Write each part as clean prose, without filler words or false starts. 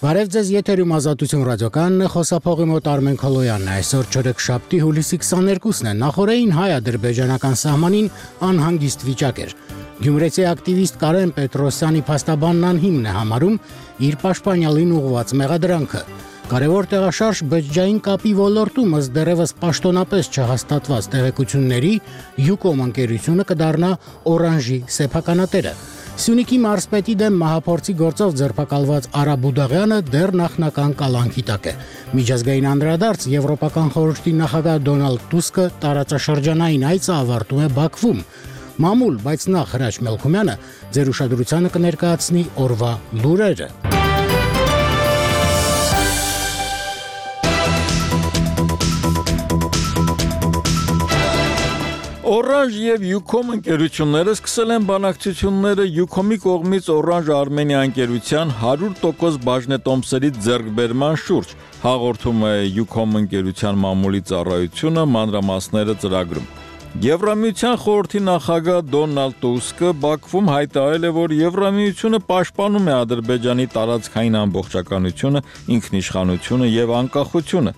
Բարև ձեզ, եթերում Ազատություն ռադիոկայանն է, խոսափողի մոտ Արմեն Քալոյանն է։ Այսօր չորեքշաբթի հուլիսի 22-ն է։ Նախորդին հայ-ադրբեջանական սահմանին անհանգիստ վիճակ էր։ Գյումրեցի ակտիվիստ Կարեն Պետրոսյանի փաստաբանն անհիմն է համարում իր պաշտպանյալին ուղղված մեղադրանքը։ Կարևոր տեղաշարժ բջջային կապի ոլորտում ըստ դեռևս պաշտոնապես չհաստատված տեղեկությունների Յուկոմ ընկերությունը կդառնա Օրանժի սեփականատերը։ Սյունիքի մարզպետի դեմ մահափորձի գործով ձերբակալված Արա Բուդաղյանը դեռ նախնական կալանքի տակ է։ Միջազգային անդրադարձ Եվրոպական խորհրդի նախագահ Դոնալդ Տուսկը տարածաշրջանային այցը ավարտում է Բաքվում։ Մամուլ, բայց նախ Հրաչ Մելքումյանը ձեր ուշադրությանը կներկայացնի օրվա լուրերը։ Օրանժ եւ Յուկոմ ընկերությունները սկսել են բանակցությունները Յուկոմի կողմից Օրանժ Արմենիա ընկերության 100% բաժնետոմսերի ձեռքբերման շուրջ, հաղորդում է Յուկոմ ընկերության մամուլի ծառայությունը մանրամասները ծրագրում։ Եվրամիության խորհրդի նախագահ Դոնալդ Տուսկը Բաքվում հայտարարել է, որ Եվրամիությունը պաշտպանում է Ադրբեջանի տարածքային ամբողջականությունը, ինքնիշխանությունը եւ անկախությունը։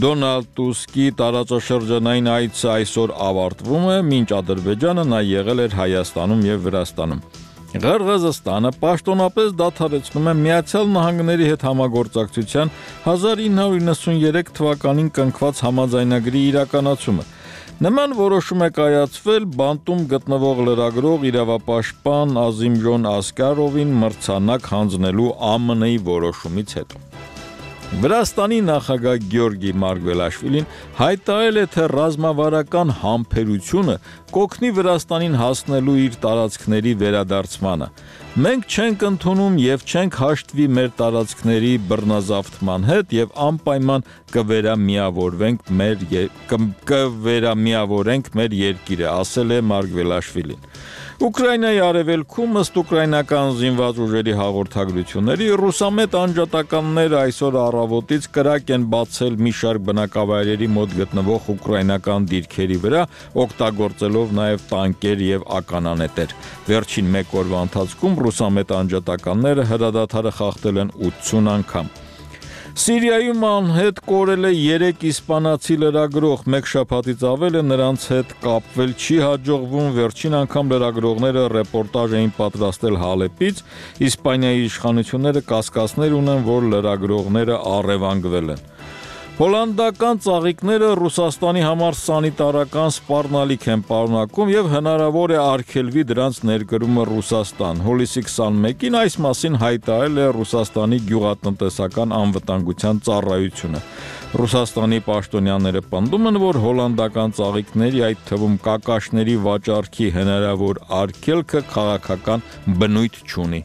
Դոնալդ Տուսկի տարածաշրջանային այցը այսօր ավարտվում է, մինչ Ադրբեջանը նա եղել էր Հայաստանում եւ Վրաստանում։ Ղրղըզստանը պաշտոնապես դադարեցնում է Միացյալ Նահանգների հետ համագործակցության 1993 թվականին կնքված համաձայնագրի իրականացումը։ Նման որոշում է կայացվել բանտում գտնվող լրագրող իրավապաշտպան Ազիմժոն Ասկարովին մրցանակ հանձնելու ԱՄՆ-ի որոշումից հետո։ Վրաստանի նախագահ Գյորգի Մարգվելաշվիլին հայտարարել է, թե ռազմավարական համբերությունը կօգնի Վրաստանին հասնելու իր տարածքների վերադարձմանը։ Մենք չենք ընդունում եւ չենք հաշտվի մեր տարածքների բռնազավթման հետ եւ անպայման կվերամիավորենք մեր երկիրը, ասել է Մարգվելաշվիլին։ Ուկրաինայի արևելքում ըստ ուկրաինական զինված ուժերի հաղորդագրությունների ռուսամետ անջատականները այսօր առավոտից կրակ են բացել մի շարք բնակավայրերի մոտ գտնվող ուկրաինական դիրքերի վրա, օգտագործելով նաև տանկեր եւ ականանետեր։ Վերջին մեկ օրվա ընթացքում ռուսամետ անջատականները հրադադարը խախտել են 80 անգամ։ Սիրիայում անհետ կորել է 3 իսպանացի լրագրող, մեկ շաբաթից ավել է նրանց հետ կապվել չի հաջողվում, վերջին անգամ լրագրողները ռեպորտաժ էին պատրաստել Հալեպից, Իսպանիայի իշխանությունները կասկածներ ունեն, որ լրագրողները առևանգվել են։ Հոլանդական ծաղիկները Ռուսաստանի համար սանիտարական սպառնալիք են պարունակում եւ հնարավոր է արգելվի դրանց ներկրումը Ռուսաստան։ Հուլիսի 21-ին այս մասին հայտարարել է Ռուսաստանի գյուղատնտեսական անվտանգության ծառայությունը։ Ռուսաստանի պաշտոնյաները պնդում են, որ հոլանդական ծաղիկների, այդ թվում կակաշների վաճառքի հնարավոր արգելքը քաղաքական բնույթ չունի։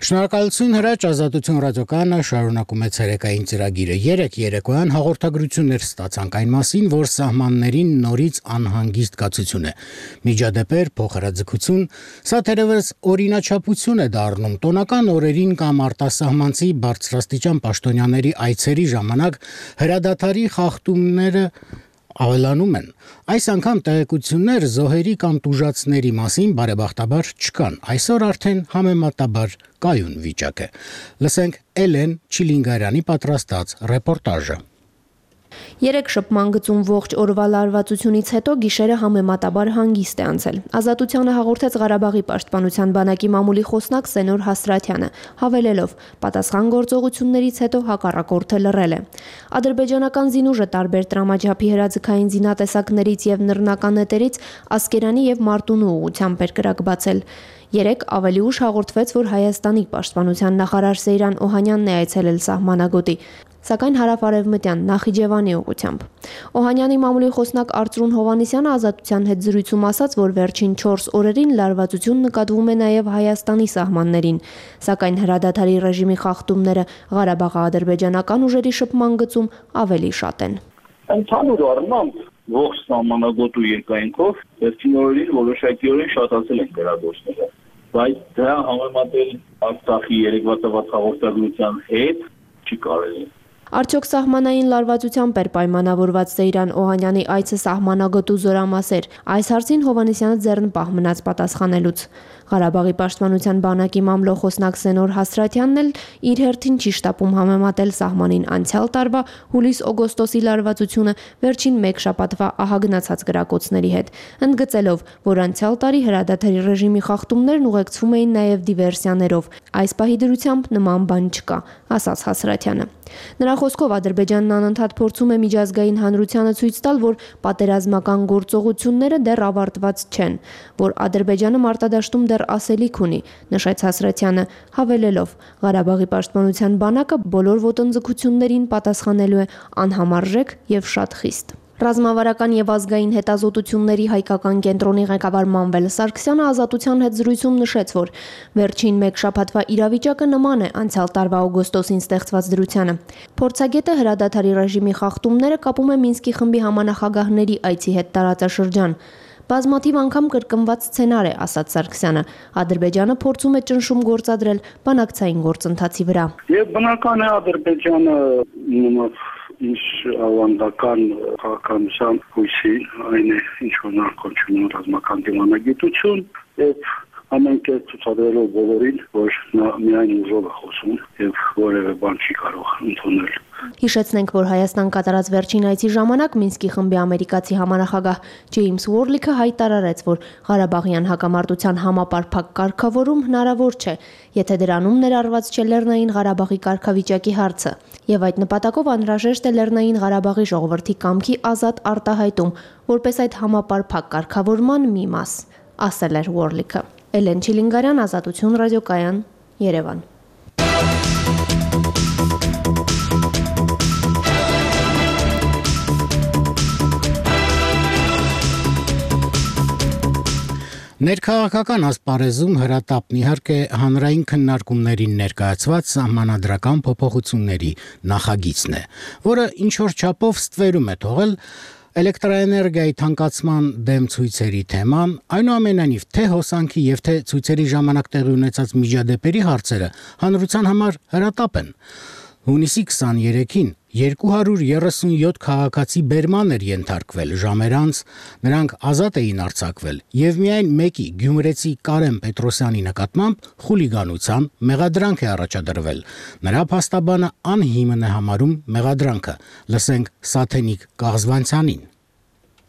Շնորհակալություն Հրաչ, Ազատություն ռադիոկայանը շարունակում է ցերեկային ծրագիրը։ Երեկոյան հաղորդագրություններ ստացանք այն մասին, որ սահմաններին նորից անհանգիստ կացություն է։ Միջադեպեր, փոխհրաձգություն, սա թերևս օրինաչափություն է դառնում տոնական օրերին կամ արտասահմանցի բարձրաստիճան պաշտոնյաների այցերի ժամանակ հրադադարի խախտումները ավելանում են։ Այս անգամ տեղեկություններ զոհերի կամ տուժածների մասին բարեբախտաբար չկան։ Այսօր արդեն համեմատաբար կայուն վիճակ է։ Լսենք Էլեն Չիլինգարյանի պատրաստած ռեպորտաժը։ Երեք շփման գծում ողջ օրվա լարվածությունից հետո գիշերը համեմատաբար հանգիստ է անցել։ Ազատությանը հաղորդեց Ղարաբաղի պաշտպանության բանակի մամուլի խոսնակ Սենոր Հասրաթյանը, հավելելով. պատասխան գործողություններից հետո հակառակորդը լռել է։ Ադրբեջանական զինուժը տարբեր տրամաջափի հրաձգային զինատեսակներից եւ նռնական նետերից Ասկերանի եւ Մարտունու ուղղությամբ էր կրակ բացել։ Երեկ ավելի ուշ հաղորդվեց, որ Հայաստանի պաշտպանության նախարար Սեյրան Օհանյանն է այցելել սահմանագոտի, սակայն հարավ-արևմտյան Նախիջևանի ուղղությամբ։ Օհանյանի մամուլի խոսնակ Արծրուն Հովհաննիսյանը Ազատության հետ զրույցում ասաց, որ վերջին 4 օրերին լարվածություն նկատվում է նաև Հայաստանի սահմաններին, սակայն հրադադարի ռեժիմի խախտումները Ղարաբաղի ադրբեջանական ուժերի շփման գծում ավելի շատ են։ Ընդհանուր առմամբ ողջ սահմանագոտու երկայնքով վերջին օրերին որոշակիորեն շատացել են դերագործները, բայց դրա համեմատել Արցախի երեկվա տված հաղորդագրության հետ չի կարելի։ Արդյոք սահմանային լարվածությամբ էր պայմանավորված Սեյրան Օհանյանի այցը սահմանագոտու զորամասեր։ Այս հարցին Հովհաննիսյանը ձեռնպահ մնաց պատասխանելուց։ Ղարաբաղի պաշտպանության բանակի մամլո խոսնակ Սենոր Հասրատյանն էլ իր հերթին չի շտապում համեմատել սահմանին անցյալ տարվա հուլիս-օգոստոսի լարվածությունը վերջին մեկ շաբաթվա ահագնացած գրակոծների հետ, ընդգծելով, որ անցյալ տարի հրադադարի ռեժիմի խախտումներն ուղեկցվում էին նաև դիվերսիաներով։ Այս պահի դրությամբ նման բան չկա, ասաց Հասրատյանը։ Նրա խոսքով Ադրբեջանն անընդհատ փորձում է միջազգային հանրությանը ցույց տալ, որ պատերազմական գործողությունները դեռ ավարտված չեն, որ Ադրբեջանը մարտադաշտում դեռ ասելիք ունի, նշեց Հասրատյանը, հավելելով. Ղարաբաղի պաշտպանության բանակը բոլոր ոտնձգություններին պատասխանելու է անհամարժեք եւ շատ խիստ։ Ռազմավարական եւ ազգային հետազոտությունների հայկական կենտրոնի ղեկավար Մանվել Սարգսյանը Ազատության հետ զրույցում նշեց, որ վերջին մեկ շաբաթվա իրավիճակը նման է անցյալ տարվա օգոստոսին ստեղծված դրությանը։ Փորձագետը հրադադարի ռեժիմի խախտումները կապում է Մինսկի խմբի համանախագահների այցի հետ տարածաշրջան։ Բազմաթիվ անգամ կրկնված սցենար է, ասաց Սարգսյանը։ Ադրբեջանը փորձում է ճնշում գործադրել բանակցային գործընթացի վրա։ Եվ բնական է Ադրբեջանը ինչ ավանդական քաղաքականության հույսի, այն է ինչ որ նրանք կոչվում են ռազմական դիվանագիտություն, եւ ամեն կերպ ցուցադրելով բոլորին, որ նա միայն ուժով է խոսում եւ որևէ բան չի կարող ընդունել։ Հիշեցնենք, որ Հայաստան կատարած վերջին այցի ժամանակ Մինսկի խմբի ամերիկացի համանախագահ Ջեյմս Ուորլիքը հայտարարեց, որ Ղարաբաղյան հակամարտության համապարփակ կարգավորում հնարավոր չէ, եթե դրանում ներառված չէ Լեռնային Ղարաբաղի կարգավիճակի հարցը, եւ այդ նպատակով անհրաժեշտ է Լեռնային Ղարաբաղի ժողովրդի կամքի ազատ արտահայտում, որպես այդ համապարփակ կարգավորման մի մաս, ասել էր Ուորլիքը։ Էլեն Չիլինգարյան, Ազատություն ռադիոկայան, Երևան։ Ներքաղաքական ասպարեզում հրատապն իհարկե հանրային քննարկումներին ներկայացված սահմանադրական փոփոխությունների նախագիծն է, որը ինչ-որ չափով ստվերում է թողել էլեկտրաէներգիայի թանկացման դեմ ցույցերի թեման, այնուամենայնիվ թե հոսանքի եւ թե ցույցերի ժամանակ տեղի ունեցած միջադեպերի հարցերը հանրության համար հրատապ են։ Հունիսի 23-ին 237 քաղաքացի բերման էր ենթարկվել ժամեր անց, նրանք ազատ էին արձակվել եւ միայն մեկի գյումրեցի Կարեն Պետրոսյանի նկատմամբ խուլիգանության մեղադրանք է առաջադրվել։ Նրա փաստաբանը անհիմն է համարում մեղադրանքը։ Լսենք Սաթենիկ Կաղզվանցյանին։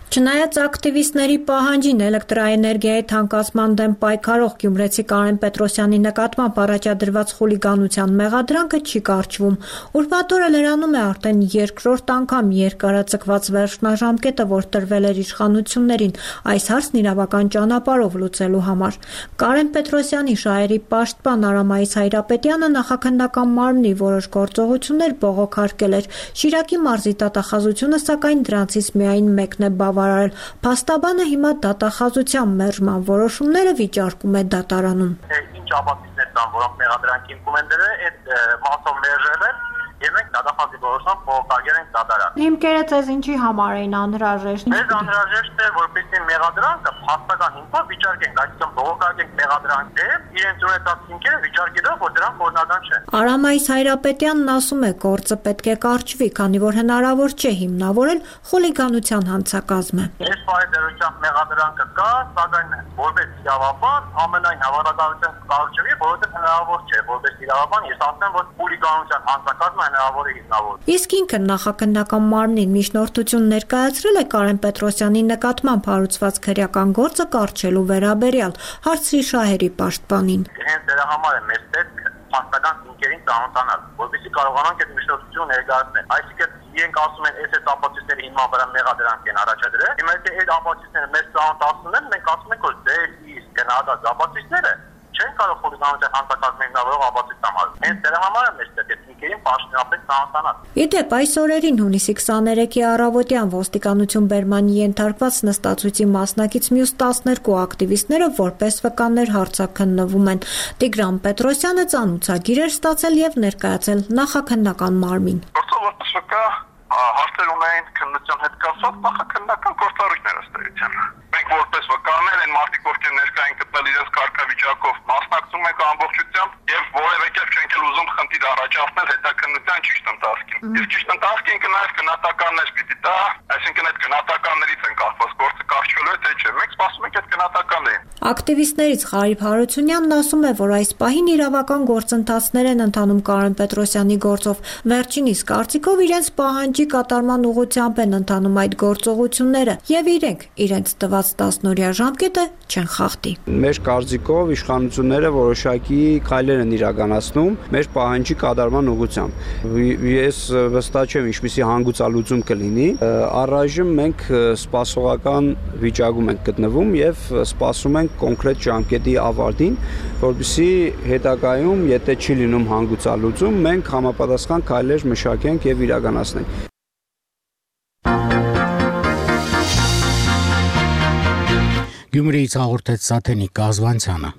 Չնայած ակտիվիստների պահանջին էլեկտրաէներգիայի թանկացման դեմ պայքարող գյումրեցի Կարեն Պետրոսյանի նկատմամբ առաջադրված խուլիգանության մեղադրանքը չի կարճվում։ Ուրբաթ օրը լրանում է արդեն երկրորդ անգամ երկարաձգված վերջնաժամկետը, որ տրվել էր իշխանություններին այս հարցն իրավական ճանապարհով լուծելու համար։ Կարեն Պետրոսյանի շահերի պաշտպան Արամայիս Հայրապետյանը նախաքննական մարմնի որոշ գործողություններ բողոքարկել էր։ Շիրակի մարզի դատախազությունը սակայն դրանցից միայն մեկն է Փաստաբանը հիմա դատախազության մերժման որոշումները վիճարկում է դատարանում։ Ինչ ապացույցներ կան, որոնք մեղադրանքի հիմքում են դրել, այդ մասով մերժել են եւ մենք դատախազի որոշում փոխարկել ենք դատարան։ Հիմքերը ցեզ ինչի համար էին անհրաժեշտ։ Մեզ անհրաժեշտ է, որպեսզի մեղադրանքը փաստական հիմքով վիճարկենք, այսինքն բողոքարկենք մեղադրանքը, իրենց ունեցած հիմքերը վիճարկելով, որ դրանք օրինական չեն։ Արամայիս Հայրապետյանն ասում է, գործը պետք է կարճվի, քանի որ հնարավոր չէ հիմնավորել խուլիգանության հանցակազմը։ Այս պայմանությամբ մեղադրանքը կա, սակայն որպես իրավաբան ամենայն հավանականությամբ կարճվի, որովհետեւ հնարավոր չէ, որպես իրավաբան ես ասեմ, որ խուլիգանության հանցակազմը հնարավոր է հիմնավորել։ Իսկ ինքը նախաքննական մարմնին միջնորդություն ներկայացրել է Կարեն Պետրոսյանի նկատմամբ հարուցված քրեական գործը կարճելու վերաբերյալ հարցի շահերի պաշտպանին։ Հենց դրա համար է մեզ պետք փաստական հիմքերին ծանոթանալ, որպեսզի կարողանանք այդ միջնորդությունը ներկայացնել։ Այսինքն իրենք ասում են, այս ապացույցների հիման վրա մեղադրանք են առաջադրել։ Հիմա եթե այդ ապացույցները մեզ ծանոթացնեն, մենք ասում ենք, որ դե իսկ գնահատած ապացույցները չեն կարող խոհանոցը հանցակազմի հիմնավորող ապացույց համարել։ Հենց դրա համար է մեզ պետք է հիմքերին պաշտոնապես ծանոթանալ։ Իդեպ այս օրերին հունիսի 23-ի առավոտյան ոստիկանություն բերմանի ենթարկված նստածույցի մասնակից մյուս 12 ակտիվիստները որպես վկաներ հարցաքննվում են։ Տիգրան Պետրոսյանը ծանուցագիր էր ստացել եւ ներկայացել նախաքննական մարմին։ Հարցեր ունեն բնության հետ կապված նախաքննական գործառույթներ ըստ էության։ Մենք որպես վկաներ են մարդիկ, ովքեր ներկա են գտնել իրենց կարգավիճակով, մասնակցում ենք ամբողջությամբ եւ որևէ կերպ չենք ուզում խնդիր առաջացնել հետաքննության ճիշտ ընթացքին։ Իսկ ճիշտ ընթացքին կնայած գնահատականներ պիտի տա, այսինքն այդ գնահատականներից են կախված գործը կարճելու է թե չէ։ Մենք սպասում ենք այդ գնահատականներին։ Ակտիվիստներից Ղարիբ Հարությունյանն ասում է, որ այս պահին իրավական գործընթացներ են ընթանում Կարեն Պետրոսյանի գործով։ Վերջինիս կարծիքով իրենց պահանջի կատարման ուղղությամբ են ընթանում այդ գործողությունները եւ իրենց տված 10-օրյա ժամկետը չեն խախտի։ Մեր կարծիքով իշխանությունները որոշակի քայլեր են իրականացնում մեր պահանջի կատարման ուղղությամբ։ Ես վստահ չեմ ինչպիսի հանգուցալուծում կլինի։ Առայժմ մենք սպասողական վիճակում ենք գտնվում եւ սպասում ենք կոնկրետ ժամկետի ավարտին, որպեսզի հետագայում, եթե չի լինում հանգուցալուծում, մենք համապատասխան քայլեր մշակենք եւ իրականացնենք։ Գյումրիից հաղորդեց Սաթենիկ Կազվանցյանը։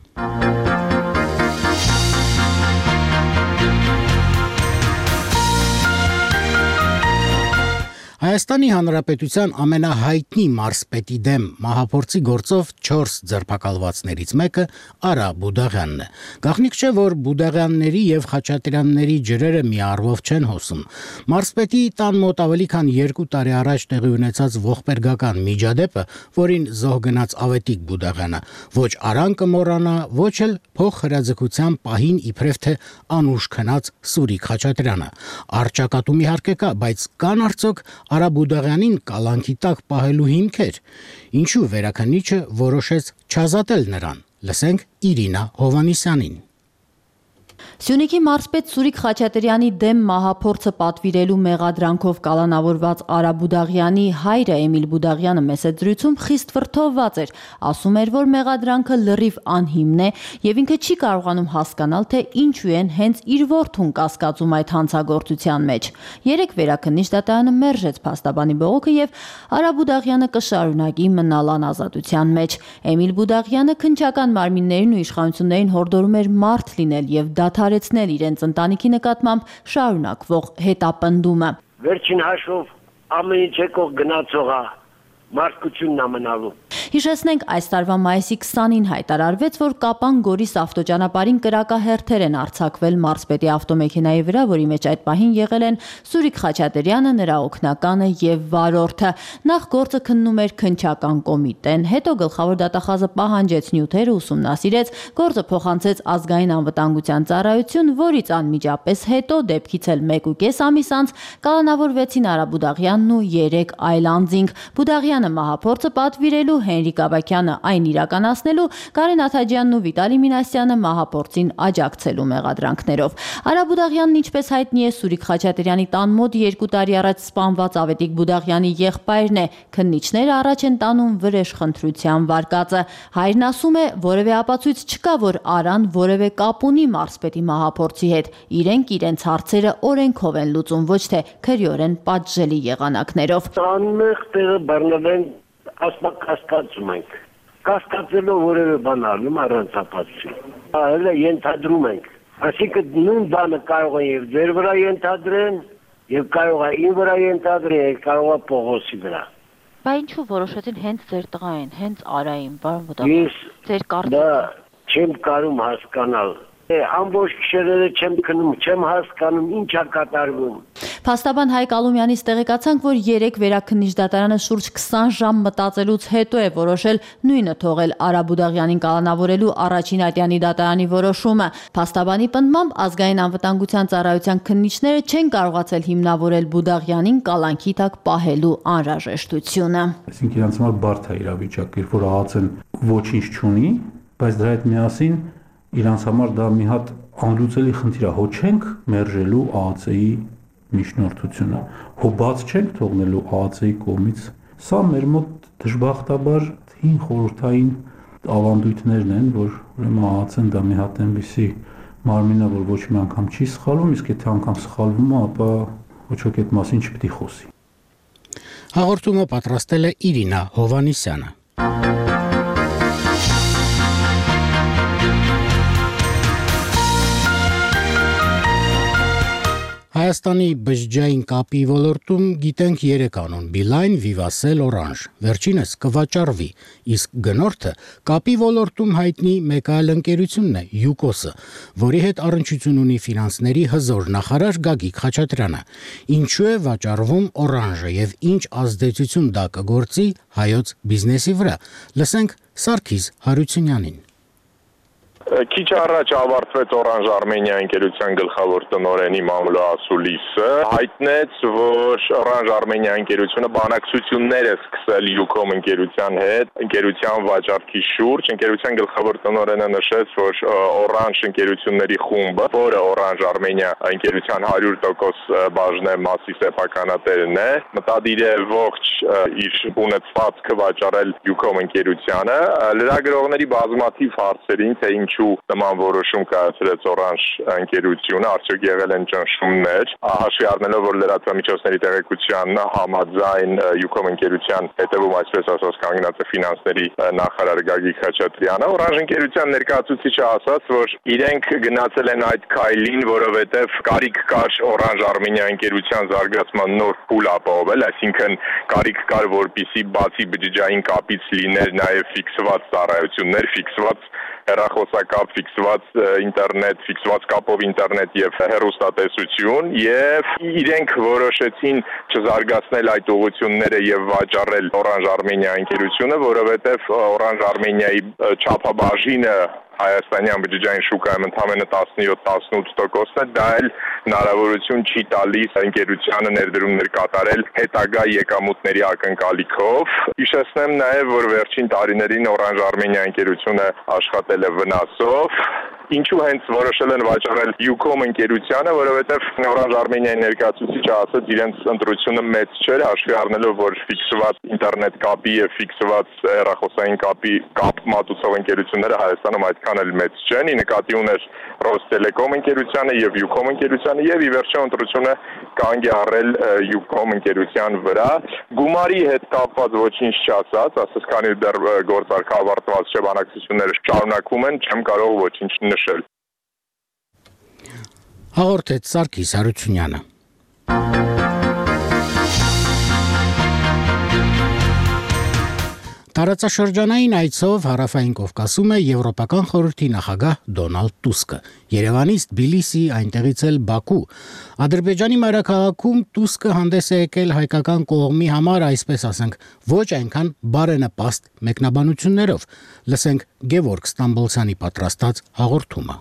Հայաստանի Հանրապետության ամենահայտնի մարզպետի դեմ մահափորձի գործով 4 ձերբակալվածներից մեկը Արա Բուդաղյանն է։ Գաղտնիք չէ, որ Բուդաղյանների եւ Խաչատրյանների ջրերը մի առվով չեն հոսում։ Մարզպետի տան մոտ ավելի քան 2 տարի առաջ տեղի ունեցած ողբերգական միջադեպը, որին զոհ գնաց Ավետիք Բուդաղյանը, ոչ Արան կմոռանա, ոչ էլ փոխհրաձգության պահին իբրև թե անուշ քնած Սուրիկ Խաչատրյանը։ Արճակատում իհարկե կա, բայց կան արդյոք Արա Բուդաղյանին կալանքի տակ պահելու հիմքեր, ինչու վերաքննիչը որոշեց չազատել նրան։ Լսենք Իրինա Հովանիսյանին։ Սյունիքի մարզպետ Սուրիկ Խաչատրյանի դեմ մահափորձը պատվիրելու մեղադրանքով կալանավորված Արա Բուդաղյանի հայրը Էմիլ Բուդաղյանը մեծ զրույցում խիստ վրդովված էր, ասում էր, որ մեղադրանքը լրիվ անհիմն է եւ ինքը չի կարողանում հասկանալ, թե ինչու են հենց իր որդուն կասկածում այդ հանցագործության մեջ։ Երեք վերաքննիչ դատարանը մերժեց փաստաբանի բողոքը եւ Արա Բուդաղյանը կշարունակի մնալ անազատության մեջ։ Էմիլ Բուդաղյանը քննչական մարմիններին ու իշխանություններին հորդորում էր մարդ լինել եւ դադարեցնել իրենց ընտանիքի նկատմամբ շարունակվող հետապնդումը։ Վերջին հաշվով ամեն ինչ եկող գնացողա մարդկությունն ամենալու։ Հիշեցնենք, այս տարվա մայիսի 20-ին հայտարարվեց, որ Կապան-Գորիս ավտոճանապարհին կրակահերթեր են արձակվել մարզպետի ավտոմեքենայի վրա, որի մեջ այդ պահին եղել են Սուրիկ Խաչատրյանը, նրա օգնականը եւ վարորդը։ Նախ գործը քննում էր քննչական կոմիտեն, հետո գլխավոր դատախազը պահանջեց նյութերը, ուսումնասիրեց, գործը փոխանցեց ազգային անվտանգության ծառայություն, որից անմիջապես հետո դեպքից էլ 1.5 ամիս անց կալանավորվեցին Արա Բուդաղյանն ու 3 այլ անձինք։ Բուդաղյանը մահափորձը պատվիրելու, Հենրիկ Աբակյանը այն իրականացնելու, Կարեն Աթաջյանն ու Վիտալի Մինասյանը մահափորձին աջակցելու մեղադրանքներով։ Արա Բուդաղյանն, ինչպես հայտնի է, Սուրիկ Խաչատրյանի տան մոտ 2 տարի առաջ սպանված Ավետիք Բուդաղյանի եղբայրն է։ Քննիչները առաջ են տանում վրեժխնդրության վարկածը։ Հայրն ասում է, որևէ ապացույց չկա, որ Արան որևէ կապ ունի մարզպետի մահափորձի հետ։ Իրենք իրենց հարցերը օրենքով են լուծում, ոչ թե քրեորեն պատժելի եղանակներով։ Անմեղ տեղը բռնվեն, կասկածում ենք։ Կասկածելով որևէ բան անում առանց ապացույցի։ Հələ ենթադրում ենք։ Այսինքն նույն բանը կարող է եւ ձեր վրա ենթադրեն, եւ կարող է ին վրա ենթադրեն, եւ կարող է Պողոսի վրա։ Բա ինչու որոշեցին հենց ձեր տղային, հենց Արային, պարոն Բուդաղյան։ Ձեր կարծիքը։ Դա չեմ կարող հասկանալ։ Ամբողջ գիշերները չեմ քնում, չեմ հասկանում ինչա կատարվում։ Փաստաբան Հայկ Ալումյանից տեղեկացանք, որ 3 վերաքննիչ դատարանը շուրջ 20 ժամ մտածելուց հետո է որոշել նույնը թողել Արա Բուդաղյանին կալանավորելու առաջին ատյանի դատարանի որոշումը։ Փաստաբանի պնդմամբ ազգային անվտանգության ծառայության քննիչները չեն կարողացել հիմնավորել Բուդաղյանին կալանքի տակ պահելու անհրաժեշտությունը։ Այսինքն իրանց համար բարդ է իրավիճակը, երբ որ ԱԱՑ-ն ոչինչ չունի, բայց դրա հետ միասին իրանց համար դա մի հատ անլուծելի խնդիր է, հո չենք մերժելու ԱԱՑ-ի միջնորդությունը, հո բաց չենք թողնելու ԱԱՑ-ի կողմից։ Սա մեր մոտ դժբախտաբար հին խորհրդային ավանդույթներն են, որ ուրեմն ԱԱՑ-ն դա մի հատ այնպիսի մարմին է, որ ոչ մի անգամ չի սխալվում, իսկ եթե անգամ սխալվում է, ապա ոչ ոք այդ մասին չպետք է խոսի։ Հաղորդումը պատրաստել է Իրինա Հովանիսյանը։ Հայաստանի բջջային կապի ոլորտում գիտենք 3 անուն՝ Beeline, Vivacell, Orange։ Վերջինս կվաճառվի, իսկ գնորդը կապի ոլորտում հայտնի մեկ այլ ընկերությունն է՝ Yukos-ը, որի հետ առնչություն ունի ֆինանսների հզոր նախարար Գագիկ Խաչատրյանը։ Ինչու է վաճառվում Orange-ը եւ ինչ ազդեցություն դա կգործի հայոց բիզնեսի վրա։ Լսենք Սարգիս Հարությունյանին։ Քիչ առաջ ավարտվեց Orange Armenia ընկերության գլխավոր տնօրենի Մամլո Ասուլիսը հայտնեց, որ Orange Armenia ընկերությունը բանակցություններ է սկսել Yucom ընկերության հետ, ընկերության վաճառքի շուրջ։ Ընկերության գլխավոր տնօրենը նշեց, որ Orange ընկերությունների խումբը, որը Orange Armenia ընկերության 100% բաժնեմասի սեփականատերն է, մտադիր է ողջ իր ունեցվածքը վաճառել Yucom ընկերությանը։ Լրագրողների բազմաթիվ հարցերին, թե ինչու նման որոշում կայացրեց Orange ընկերությունը, արդյոք եղել են ճնշումներ, հաշվի առնելով, որ լրատվամիջոցների տեղեկության համաձայն Yucom ընկերության հետևում, այսպես ասած, կանգնած է ֆինանսների նախարար Գագիկ Խաչատրյանը, Orange ընկերության ներկայացուցիչը ասաց, որ իրենք գնացել են այդ քայլին, որովհետև կարիք կար Orange Armenia ընկերության զարգացման նոր փուլ ապահովել, այսինքն կարիք կար, որպեսզի բացի բջջային կապից լիներ նաև ֆիքսված ծառայություններ, ֆիքսված հեռախոսակապ, ֆիքսված ինտերնետ, ֆիքսված կապով ինտերնետ եւ հեռուստատեսություն, եւ իրենք որոշեցին չզարգացնել այդ ուղղությունները եւ վաճառել Orange Armenia ընկերությունը, որովհետեւ Orange Armenia-ի չափաբաժինը հայաստանյան բջջային շուկայում ընդամենը 17-18% է, դա էլ հնարավորություն չի տալիս ընկերությանը ներդրումներ կատարել հետագա եկամուտների ակնկալիքով։ Հիշեցնեմ նաև, որ վերջին տարիներին Orange Armenia ընկերությունը աշխատել է վնասով։ Ինչու հենց որոշել են վաճառել Yucom ընկերությանը, որովհետև Orange Armenia-ի ներկայացուցիչը ասաց, իրենց ընտրությունը մեծ չէր, հաշվի առնելով, որ ֆիքսված ինտերնետ կապի եւ ֆիքսված հեռախոսային կապի կապ մատուցող ընկերությունները Հայաստանում այդքան էլ մեծ չեն, ի նկատի ուներ Rostelecom ընկերությանը եւ Yucom ընկերությանը եւ ի վերջո ընտրությունը կանգ է առել Yucom ընկերության վրա։ Գումարի հետ կապված ոչինչ չասած, ասես քանի դեռ գործարքը ավարտված չէ, բանակցությունները շարունակվում են, չեմ կարող ոչինչ նշել։ Հաղորդեց Սարգիս Հարությունյանը։ Տարածաշրջանային այցով Հարավային Կովկասում է Եվրոպական խորհրդի նախագահ Դոնալդ Տուսկը։ Երևանից Թբիլիսի, այնտեղից էլ Բաքու։ Ադրբեջանի մայրաքաղաքում Տուսկը հանդես է եկել հայկական կողմի համար, այսպես ասենք, ոչ այնքան բարենպաստ մեկնաբանություններով։ Լսենք Գևորգ Ստամբոլցյանի պատրաստած հաղորդումը։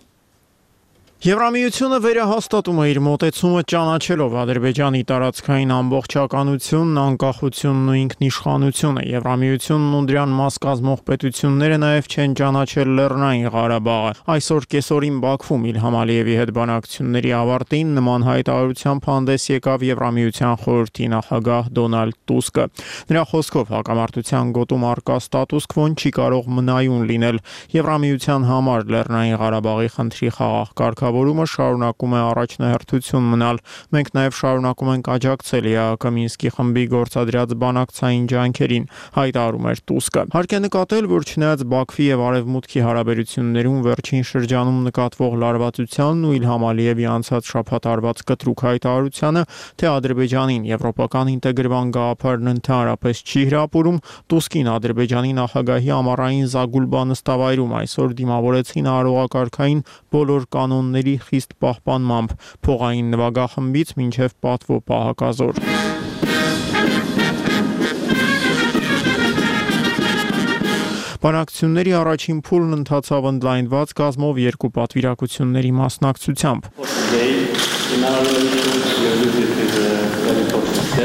Եվրամիությունը վերահաստատում է իր մոտեցումը ճանաչելով Ադրբեջանի տարածքային ամբողջականությունն, անկախությունն ու ինքնիշխանությունը։ Եվրամիությունն ու դրան մաս կազմող պետությունները նաև չեն ճանաչել Լեռնային Ղարաբաղը։ Այսօր կեսօրին Բաքվում Իլհամ Ալիևի հետ բանակցությունների ավարտին նման հայտարարությամբ հանդես եկավ Եվրամիության խորհրդի նախագահ Դոնալդ Տուսկը։ Նրա խոսքով հակամարտության գոտում առկա ստատուս քվոն չի կարող մնայուն լինել։ Եվրամիության համար Լեռնային Ղարաբաղի խնդրի խաղաղ կարգավորումը շարունակում է առաջնահերթություն մնալ։ Մենք նաև շարունակում ենք աջակցել ԵԱՀԿ Մինսկի խմբի գործադրած բանակցային ջանքերին, հայտարարում էր Տուսկը։ Հարկ է նկատել, որ չնայած Բաքվի եւ Արևմուտքի հարաբերություններում վերջին շրջանում նկատվող լարվածությանն ու Իլհամ Ալիևի անցած շաբաթ արված կտրուկ հայտարարությանը, թե Ադրբեջանին եվրոպական ինտեգրման գաղափարն ընդհանրապես չի հրապուրում, Տուսկին Ադրբեջանի նախագահի ամառային Զագուլբա նստավայրում այսօր դիմավորեցին արարողակարգային բոլոր կանոնների խիստ պահպանմամբ, փողային նվագախմբից մինչև պատվո պահակազոր։ Բանակցությունների առաջին փուլն ընթացավ ընդլայնված կազմով երկու պատվիրակությունների մասնակցությամբ։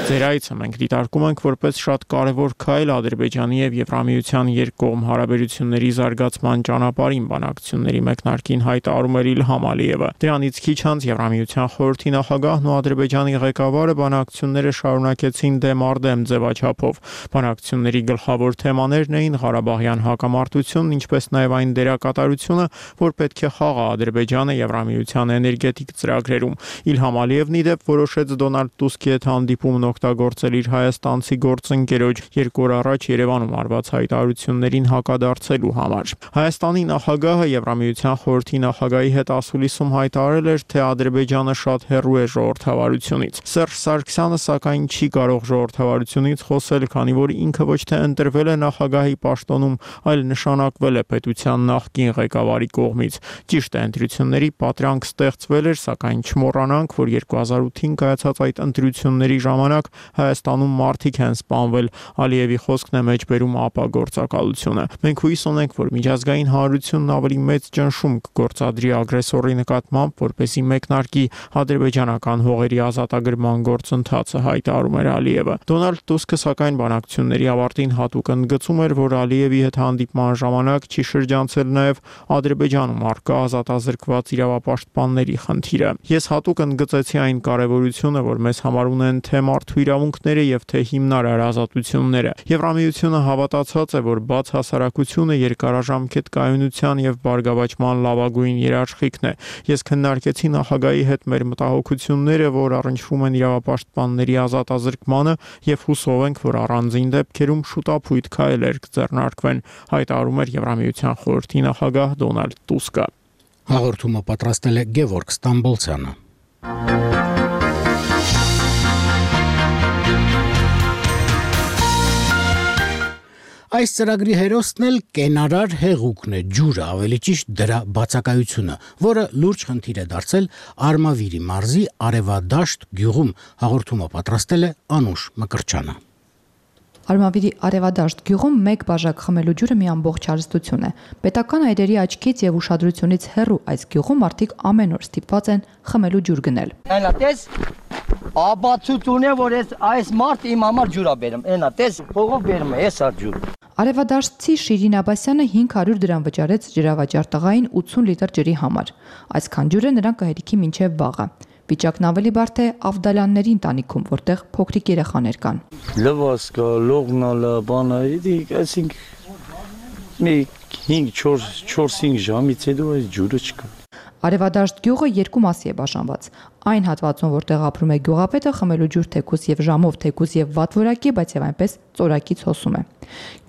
Ձեր այցը մենք դիտարկում ենք որպես շատ կարևոր քայլ Ադրբեջանի եւ Եվրամիության երկկողմ հարաբերությունների զարգացման ճանապարհին, բանակցությունների մեկնարկին հայտարարում էր Իլհամ Ալիևը։ Դրանից քիչ անց Եվրամիության խորհրդի նախագահն ու Ադրբեջանի ղեկավարը բանակցությունները շարունակեցին դեմ առ դեմ ձևաչափով։ Բանակցությունների գլխավոր թեմաներն էին Ղարաբաղյան հակամարտությունն, ինչպես նաև այն դերակատարությունը, որ պետք է խաղա Ադրբեջանը Եվրամիության էներգետիկ ծրագրերում։ Իլհամ Ալիևն ի դեպ որոշեց Դոնալդ Դոնալդ Տուսկի հետ հանդիպումն օգտագործել իր հայաստանցի գործընկերոջ 2 օր առաջ Երևանում արված հայտարարություններին հակադարձելու համար։ Հայաստանի նախագահը Եվրամիության խորհրդի նախագահի հետ ասուլիսում հայտարարել էր, թե Ադրբեջանը շատ հեռու է ժողովրդավարությունից։ Սերժ Սարգսյանը սակայն չի կարող ժողովրդավարությունից խոսել, քանի որ ինքը ոչ թե ընտրվել է նախագահի պաշտոնում, այլ նշանակվել է պետության նախկին ղեկավարի կողմից։ Ճիշտ է, ընտրությունների պատրանք ստեղծվել էր, սակայն չմոռանանք, որ 2008-ին կայացած այդ ընտրությունների ժամանակ Հայաստանում մարդիկ են սպանվել։ Ալիևի խոսքն է մեջբերում ԱՊԱ գործակալությունը։ Մենք հույս ունենք, որ միջազգային հանրությունն ավելի մեծ ճնշում կգործադրի ագրեսորի նկատմամբ, որպեսզի մեկնարկի ադրբեջանական հողերի ազատագրման գործընթացը, հայտարարում էր Ալիևը։ Դոնալդ Տուսկը սակայն բանակցությունների ավարտին հատուկ ընդգծում էր, որ Ալիևի հետ հանդիպման ժամանակ չի շրջանցել նաև Ադրբեջանում առկա ազատազրկված իրավապաշտպանների խնդիրը։ Ես հատուկ ընդգծեցի այն կարևորությունը, որ մեզ համար ունեն թե մարդու իրավունքները եւ թե հիմնարար ազատությունները։ Եվրամիությունը հավատացած է, որ բաց հասարակությունը երկարաժամկետ կայունության եւ բարգավաճման լավագույն երաշխիքն է։ Ես քննարկեցի նախագահի հետ մեր մտահոգությունները, որ առնչվում են իրավապաշտպանների ազատազրկմանը եւ հուսով ենք, որ առանձին դեպքերում շուտապույտ քայլեր կձեռնարկվեն, հայտարարում էր Եվրամիության խորհրդի նախագահ Դոնալդ Տուսկը։ Հաղորդումը պատրաստել է Գևորգ Ստամբոլցյանը։ Այս ծրագրի հերոսն էլ կենարար հեղուկն է, ջուրը, ավելի ճիշտ դրա բացակայությունը, որը լուրջ խնդիր է դարձել Արմավիրի մարզի Արևադաշտ գյուղում։ Հաղորդումը պատրաստել է Անուշ Մկրչյանը։ Արմավիրի Արևադաշտ գյուղում մեկ բաժակ խմելու ջուրը մի ամբողջ հարստություն է։ Պետական այրերի աչքից եւ ուշադրությունից հեռու այս գյուղում մարդիկ ամեն օր ստիպված են խմելու ջուր գնել։ Այնա տես աբացություն է, որ այս մարդ իմ համար ջուր է բերում։ Այնա տես փողով բերում է, էս է ջուր։ Արևադաշտցի Շիրին Աբասյանը 500 դրամ վճարեց ջրավաճառ տղային 80 լիտր ջրի համար։ Այսքան ջուրը նրան կհերիքի մինչև վաղը։ Վիճակն ավելի բարդ է Ավդալյանների ընտանիքում, որտեղ փոքրիկ երեխաներ կան։ Լվասկա, լողնալա, բանա, այսինքն մի 5-4-5 ժամից հետո այս ջուրը չկա։ Արևադաշտ գյուղը երկու մասի է բաժանված։ Այն հատվածում, որտեղ ապրում է գյուղապետը, խմելու ջուր թեկուզ եւ ժամով, թեկուզ եւ վատ որակի, բայց եւ այնպես ծորակից հոսում է։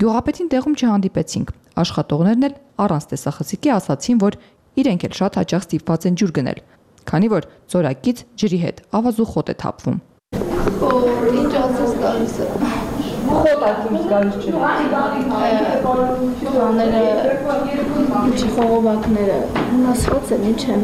Գյուղապետին տեղում չհանդիպեցինք։ Աշխատողներն էլ առանց տեսախցիկի ասացին, որ իրենք էլ շատ հաճախ ստիպված են ջուր գնել, քանի որ ծորակից ջրի հետ ավազու խոտ է թափվում։ Ինչ ասես գալիս է։ Խոտակից գալիս չէ։ Ինչի խողովակները մասված են, ինչ են։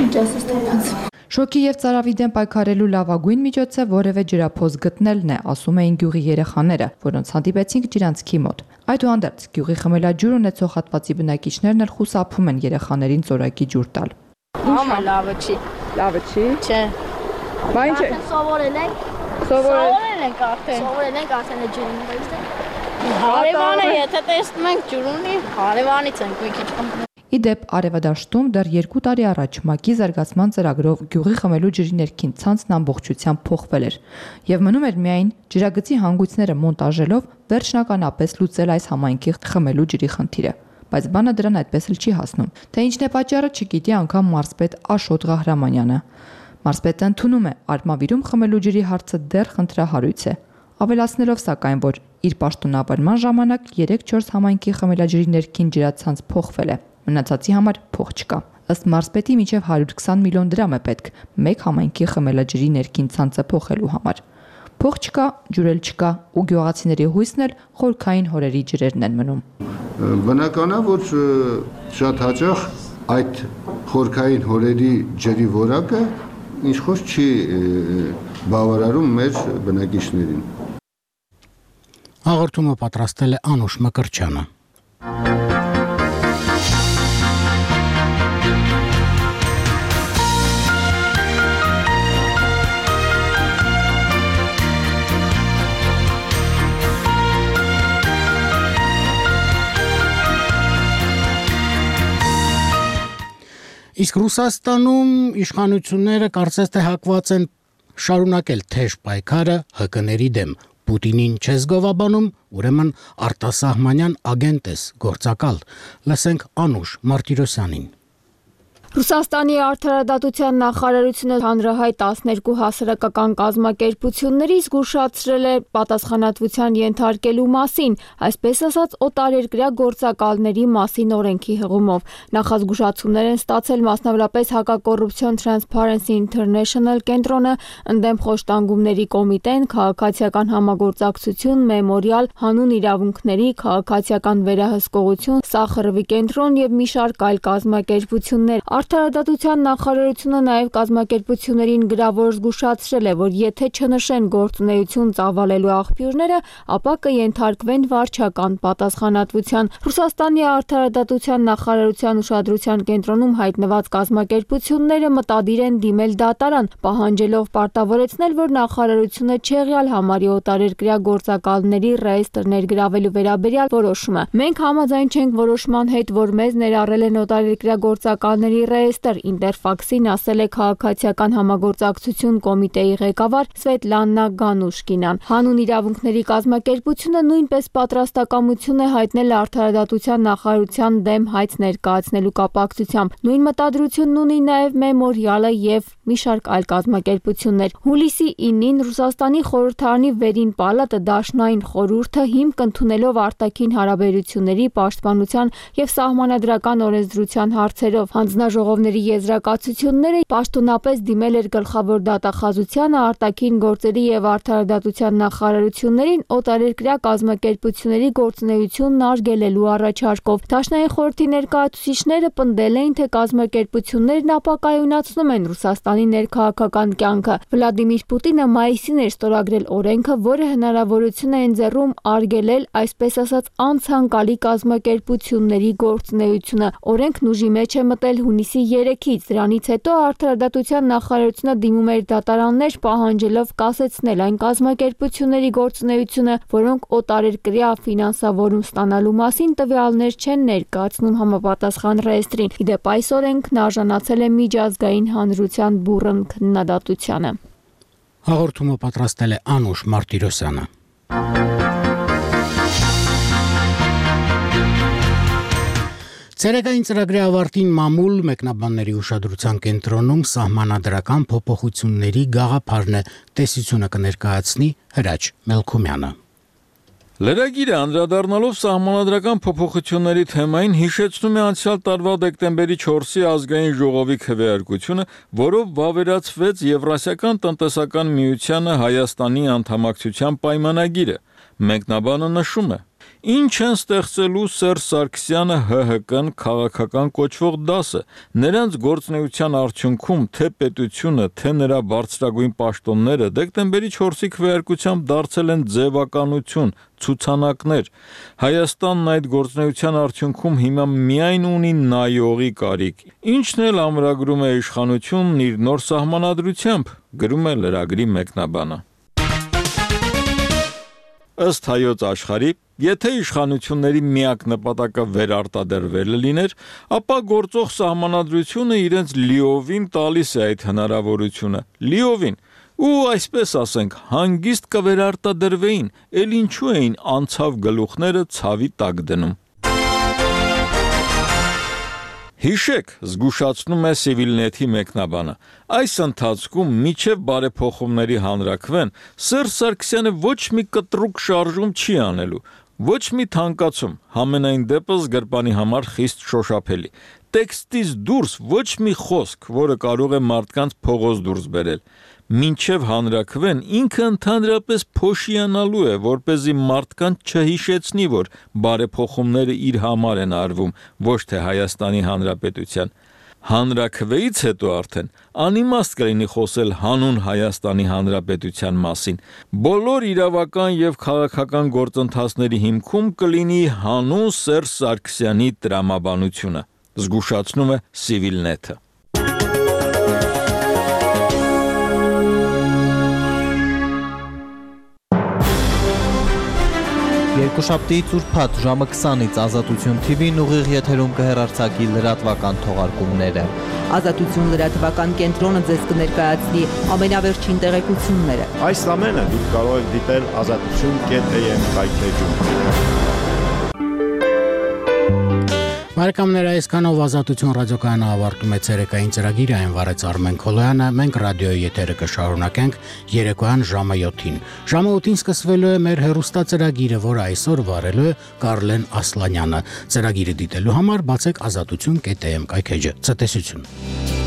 Ինչ ասես թափած։ Շոկի եւ ծարավի դեմ պայքարելու լավագույն միջոցը որևէ ջրափոս գտնելն է, ասում էին գյուղի երեխաները, որոնց հանդիպեցինք ջրանցքի մոտ։ Այդուհանդերձ գյուղի խմելաջուր ունեցող հատվածի բնակիչներն էլ խուսափում են երեխաներին ծորակի ջուր տալ։ Համա լավը չի։ Լավը չի։ Չէ։ Բա ինչ է։ Սովորել ենք։ Սովորել ենք արդեն։ Սովորել ենք արդեն ջուրին, բայց հարևանը եթե տեսնում ենք ջուր ունի, հարևանից ենք մի քիչ խմում։ Իդեպ Արևադաշտում դեռ 2 տարի առաջ ՄԱԿ-ի զարգացման ծրագրով գյուղի խմելու ջրի ներքին ցանցն ամբողջությամբ փոխվել էր եւ մնում էր միայն ջրագծի հանգույցները մոնտաժելով վերջնականապես լուծել այս համայնքի խմելու ջրի խնդիրը, բայց բանը դրան այդպես էլ չի հասնում։ Թե ինչն է պատճառը, չգիտի անգամ մարզպետ Աշոտ Ղահրամանյանը։ Մարզպետը ընդունում է, Արմավիրում խմելու ջրի հարցը դեռ խնդրահարույց է, ավելացնելով սակայն, որ իր պաշտոնավարման ժամանակ 3-4 համայնքի խմելաջրի ներքին ջրացանց փոխվել է։ Մնացածի համար փող չկա։ Ըստ մարզպետի մինչև 120 միլիոն դրամ է պետք մեկ համայնքի խմելաջրի ներքին ցանցը փոխելու համար։ Փող չկա, ջուր էլ չկա, ու գյուղացիների հույսն էլ խորքային հորերի ջրերն են մնում։ Բնական է, որ շատ հաճախ այդ խորքային հորերի ջրի որակը ինչ-որ չի բավարարում մեր բնակիչներին։ Հաղորդումը պատրաստել է Անուշ Մկրչյանը։ Իսկ Ռուսաստանում իշխանությունները կարծես թե հակված են շարունակել թեժ պայքարը ՀԿ-ների դեմ։ Պուտինին չես գովաբանում, ուրեմն արտասահմանյան ագենտ ես, գործակալ։ Լսենք Անուշ Մարտիրոսյանին։ Ռուսաստանի արդարադատության նախարարությունը հանրահայտ 12 հասարակական կազմակերպությունների զգուշացրել է պատասխանատվության ենթարկելու մասին, այսպես ասած օտարերկրյա գործակալների մասին օրենքի հղումով։ Նախազգուշացումներ են ստացել մասնավորապես Հակակոռուպցիոն Transparency International կենտրոնը, ընդդեմ խոշտանգումների կոմիտեն, քաղաքացիական համագործակցություն, Մեմորիալ, հանուն իրավունքների, քաղաքացիական վերահսկողություն, Սախարովի կենտրոն եւ մի շարք այլ կազմակերպություններ։ Արդարադատության նախարարությունը նաև կազմակերպություններին գրավոր զգուշացրել է, որ եթե չնշեն գործունեություն ծավալելու աղբյուրները, ապա կենթարկվեն վարչական պատասխանատվության։ Ռուսաստանի արդարադատության նախարարության ուշադրության կենտրոնում հայտնված կազմակերպությունները մտադիր են դիմել դատարան, պահանջելով պարտավորեցնել, որ նախարարությունը չեղյալ համարի օտարերկրյա գործակալների ռեեստր ներգրավելու վերաբերյալ որոշումը։ Մենք համաձայն չենք որոշման հետ, որ մեզ ներառել են օտարերկրյա գործակալների ռեեստր, Ինտերֆաքսին ասել է քաղաքացիական համագործակցություն կոմիտեի ղեկավար Սվետլանա Գանուշկինան։ Հանուն իրավունքների կազմակերպությունը նույնպես պատրաստակամություն է հայտնել արդարադատության նախարարության դեմ հայց ներկայացնելու կապակցությամբ։ Նույն մտադրությունն ունի նաև Մեմորիալը եւ մի շարք այլ կազմակերպություններ։ Հուլիսի 9-ին Ռուսաստանի խորհրդարանի վերին պալատը դաշնային խորհուրդը հիմք ընդունելով արտաքին հարաբերությունների, պաշտպանության եւ սահմանադրական օրենսդրության հարցերով հանձնաժողովների եզրակացությունները պաշտոնապես դիմել էր գլխավոր դատախազությանը, արտաքին գործերի եւ արդարադատության նախարարություններին օտարերկրյա կազմակերպությունների գործունեությունն արգելելու առաջարկով։ Դաշնային խորհրդի ներկայացուցիչները պնդել էին, թե կազմակերպություններն ապակայունացնում են Ռուսաստանի ներքաղաքական կյանքը։ Վլադիմիր Պուտինը մայիսին էր ստորագրել օրենքը, որը հնարավորություն է ընձեռում արգելել, այսպես ասած, անցանկալի կազմակերպությունների գործունեությունը։ Օրենքն ուժի մեջ է մտել հունիսի 3-ից, դրանից հետո արդարադատության նախարարությունը դիմում էր դատարաններ, պահանջելով կասեցնել այն կազմակերպությունների գործունեությունը, որոնք օտարերկրյա ֆինանսավորում ստանալու մասին տվյալներ չեն ներկայացնում համապատասխան ռեեստրին։ Իդեպ այս օրենքն արժանացել է միջազգային հանրության բուռն քննադատությանը։ Հաղորդումը պատրաստել է Անուշ Մարտիրոսյանը։ Ցերեկային ծրագրի ավարտին մամուլ մեկնաբանների ուշադրության կենտրոնում սահմանադրական փոփոխությունների գաղափարն է, տեսությունը կներկայացնի Հրաչ Մելքումյանը։ Լրագիրը անդրադառնալով սահմանադրական փոփոխությունների թեմային հիշեցնում է անցյալ տարվա դեկտեմբերի 4-ի ազգային ժողովի քվեարկությունը, որով վավերացվեց Եվրասիական տնտեսական միությանը Հայաստանի անդամակցության պայմանագիրը։ Մեկնաբանը նշում է. Ինչ են ստեղծելու Սերժ Սարգսյանը ՀՀԿ-ն քաղաքական կոչվող դասը, նրանց գործունեության արդյունքում թե պետությունը, թե նրա բարձրագույն պաշտոնները դեկտեմբերի 4-ի քվեարկությամբ դարձել են ձևականություն, ցուցանակներ։ Հայաստանն այդ գործունեության արդյունքում հիմա միայն ունի նայողի կարիք, ինչն էլ ամրագրում է իշխանությունն իր նոր սահմանադրությամբ, գրում է լրագրի մեկնաբանը։ Ըստ Հայոց Աշխարհի, եթե իշխանությունների միակ նպատակը վերարտադրվելը լիներ, ապա գործող սահմանադրությունը իրենց լիովին տալիս է այդ հնարավորությունը, լիովին, ու այսպես ասենք, հանգիստ կվերարտադրվեին, ել ինչու էին անցավ գլուխները ցավի տակ դնում։ Հիշեք, զգուշացնում է Civilnet-ի մեկնաբանը, այս ընթացքում միջև բարեփոխումների հանրաքվեն Սերժ Սարգսյանը ոչ մի կտրուկ շարժում չի անելու, ոչ մի թանկացում, համենայն դեպս գրպանի համար խիստ շոշափելի։ Տեքստից դուրս ոչ մի խոսք, որը կարող է մարդկանց փողոց դուրս բերել։ Մինչև հանրաքվեն ինքը ընդհանրապես փոշիանալու է, որպեսզի մարդկանց չհիշեցնի, որ բարեփոխումները իր համար են արվում, ոչ թե Հայաստանի Հանրապետության։ Հանրաքվեից հետո արդեն անիմաստ կլինի խոսել հանուն Հայաստանի Հանրապետության մասին։ Բոլոր իրավական եւ քաղաքական գործընթացների հիմքում կլինի հանուն Սերժ Սարգսյանի տրամաբանությունը, զգուշացնում է Civilnet-ը։ Երկուշաբթիից ուրբաթ ժամը 20-ից Ազատություն TV-ն ուղիղ եթերում կհեռարձակի լրատվական թողարկումները։ Ազատություն լրատվական կենտրոնը ձեզ կներկայացնի ամենավերջին տեղեկությունները։ Այս ամենը դուք կարող եք դիտել azatutun.am կայքեջում։ Բարեկամներ, այսքանով Ազատություն ռադիոկայանը ավարտում է ցերեկային ծրագիրը, այն վարեց Արմեն Քոլոյանը, մենք ռադիոյի եթերը կշարունակենք երեկոյան ժամը 7-ին։ Ժամը 8-ին սկսվելու է մեր հեռուստածրագիրը, որը այսօր վարելու է Կարլեն Ասլանյանը։ Ծրագիրը դիտելու համար բացեք azatutun.am կայքեջը։ Ցտեսություն։